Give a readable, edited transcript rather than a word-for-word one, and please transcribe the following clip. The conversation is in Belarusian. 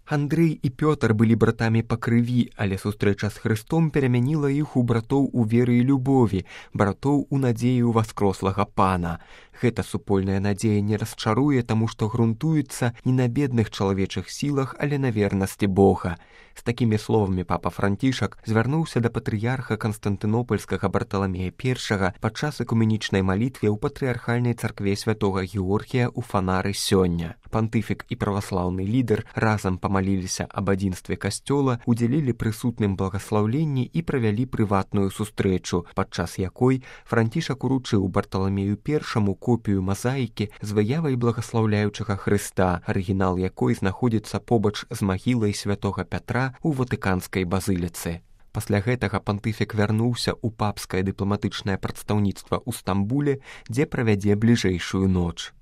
Андрэй і Пётр былі братамі па крыві, але сустрэча з Хрыстом перамяніла іх у братоў у веры і любові, братоў у надзеі ў васкрослага Пана. Гэта супольная надзея не расчаруе, таму што грунтуецца не на бедных чалавечых сілах, але на вернасці Бога. З такімі словамі папа Францішак звярнуўся да патрыярха Канстантынопольскага Барталамея I падчас экуменічнай малітве ў патрыархальнай царкве святога Георгія ў Фанары сёння. Пантыфік і праваслаўны лідар разам памаліліся аб адзінстве касцёла, удзялілі прысутным благаслаўленні і правялі прыватную сустрэчу, падчас якой Францішак уручыў Барталамею I копію мазаікі з выявай благаслаўляючага Хрыста, арыгінал якой знаходзіцца побач з магілай святога Пятра ў Ватыканскай базыліцы. Пасля гэтага пантыфік вярнуўся ў папскае дыпламатычнае прадстаўніцтва ў Стамбуле, дзе правядзе бліжэйшую ноч.